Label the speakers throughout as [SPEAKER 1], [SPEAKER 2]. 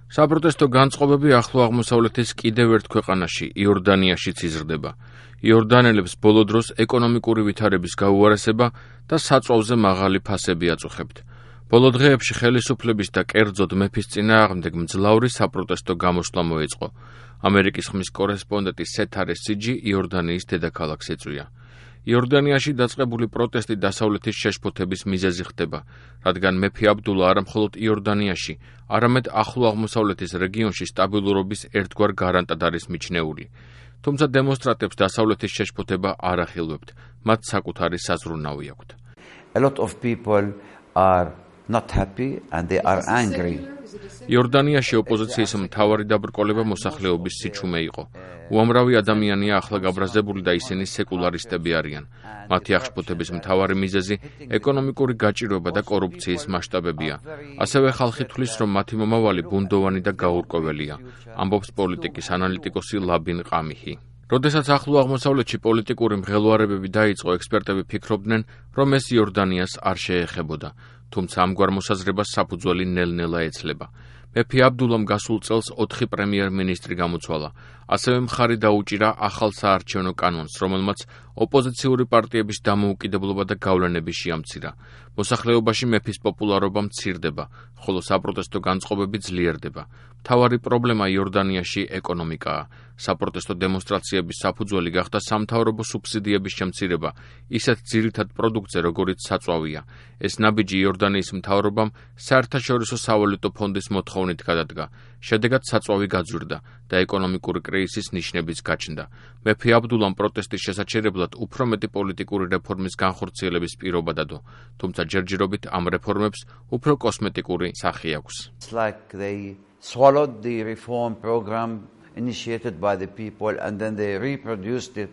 [SPEAKER 1] საპროტესტო განწყობები ახლო აღმოსავლეთის კიდევ ერთ ქვეყანაში, იორდანიაშიც იზრდება. იორდანელებს ბოლო დროს ეკონომიკური ვითარების გაუარესება და საწვავზე მაღალი ფასები აწუხებთ. ბოლო დღეებში ხელისუფლების და კერძოდ მეფის წინააღმდეგ მძლავრი საპროტესტო გამოსვლა მოეწყო. ამერიკის ხმის კორესპონდენტი სეთარე სიჯი იორდანიის დედაქალაქს ეწვია. იორდანიაში დაწყებული პროტესტი დასავლეთის შეშფოთების მიზეზი ხდება, რადგან მეფე აბდულა არა მხოლოდ იორდანიაში, არამედ ახლო აღმოსავლეთის რეგიონში სტაბილურობის ერთგვარ გარანტად არის მიჩნეული. თუმცა დემონსტრანტებს დასავლეთის შეშფოთება არ ახილვებთ, მათ საკუთარი საზრუნავი აქვთ.
[SPEAKER 2] A lot of people are not happy and they are angry.
[SPEAKER 1] იორდანიაში ოპოზიციის მთავარი დაბრკოლება მოსახლეობის სიჩუმე იყო. უამრავი ადამიანია ახლა გაბრაზებული და ისინი სეკულარისტები არიან. მათი აღშფოთების მთავარი მიზეზი ეკონომიკური გაჭირვება და კორუფციის მასშტაბებია. ასევე ხალხი თვლის, რომ მათი მომავალი ბუნდოვანი და გაურკვეველია, ამბობს პოლიტიკის ანალიტიკოსი ლაბინ ყამიჰი. როდესაც ახლო აღმოსავლეთში პოლიტიკური მღელვარებები დაიწყო, ექსპერტები ფიქრობდნენ, რომ ეს იორდანიას არ შეეხებოდა. თუმცა ამგვარ მოსაზრებას საფუძველი ნელ-ნელა ეცლება. მეფე აბდულამ გასულ წელს 4 პრემიერ-მინისტრი გამოცვალა. ასევე მხარი დაუჭირა ახალ საარჩევნო კანონს, რომელმაც ოპოზიციური პარტიების დამოუკიდებლობა და გავლენები შეამცირა. მოსახლეობაში მეფის პოპულარობა მცირდება, ხოლო საპროტესტო განწყობები ძლიერდება. მთავარი პრობლემა იორდანიაში ეკონომიკაა. საპროტესტო დემონსტრაციების საფუძველი გახდა სამთავრობო სუბსიდიების შემცირება, ისეთ ძირითად პროდუქტზე, როგორიც საწვავია. ეს ნაბიჯი იორდანიის მთავრობამ საერთაშორისო სავალუტო ფონდის მოთხოვნით გადადგა. შედეგად საწვავი გაძვირდა და ეკონომიკური კრიზისის ნიშნებიც გაჩნდა. მეფე აბდულამ პროტესტის შესაჩერებლად უფრო მეტი პოლიტიკური რეფორმის განხორციელების პირობა დადო, თუმცა ჯერჯერობით ამ რეფორმებს უფრო კოსმეტიკური სახე აქვს.
[SPEAKER 2] It's like they swallowed the reform program initiated by the people and then they reproduced it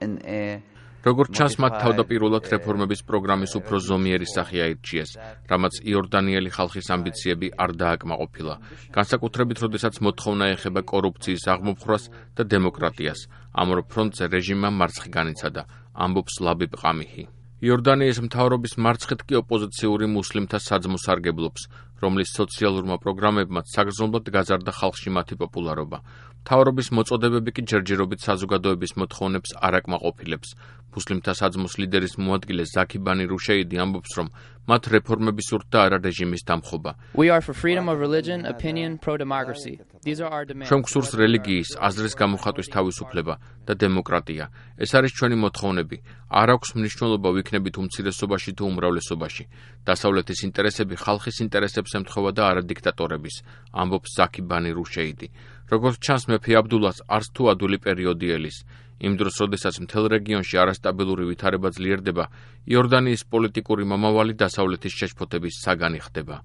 [SPEAKER 2] in a
[SPEAKER 1] როგორც ჩანს, მათ თავდაპირველად რეფორმების პროგრამის უფრო ზომიერი სახე აირჩიეს, რამაც იორდანიელი ხალხის ამბიციები არ დააკმაყოფილა, განსაკუთრებით როდესაც მოთხოვნა ეხება კორუფციის აღმოფხვრას და დემოკრატიას. ამ ორ ფრონტზე რეჟიმმა მარცხი განიცადა, ამბობს ლაბიბ ყამიჰი. იორდანიის მთავრობის მარცხით კი ოპოზიციური მუსლიმთა საძმოს სარგებლობს, რომლის სოციალურმა პროგრამებმაც საგრძნობლად გაზარდა ხალხში მათი პოპულარობა. მთავრობის მოწოდებები კი ჯერჯერობით საზოგადოების მოთხოვნებს არ აკმაყოფილებს. მუსლიმთა საძმოს ლიდერის მოადგილე ზაქი ბანი რუშეიდი ამბობს, რომ მათ რეფორმები სურთ და არა რეჟიმის დამხობა.
[SPEAKER 3] We are for freedom of religion, opinion, pro-democracy. These are our demands.
[SPEAKER 1] ჩვენ გვსურს რელიგიის, აზრის გამოხატვის თავისუფლება და დემოკრატია. ეს არის ჩვენი მოთხოვნები. არ აქვს მნიშვნელობა ვიქნებით უმცირესობაში თუ უმრავლესობაში. დასავლეთის ინტერესები ხალხის ინტერესებს ემთხვევა და არა დიქტატორების, ამბობს ზაქი ბანი რუშეიდი. როგორც ჩანს, მეფე აბდულას არც თუ ადვილი პერიოდი ელის. იმ დროს, როდესაც მთელ რეგიონში არასტაბილური ვითარება ძლიერდება, იორდანიის პოლიტიკური მომავალი დასავლეთის შეშფოთების საგანი ხდება.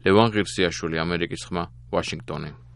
[SPEAKER 1] ლევან ღირსიაშვილი, ამერიკის ხმა, ვაშინგტონი.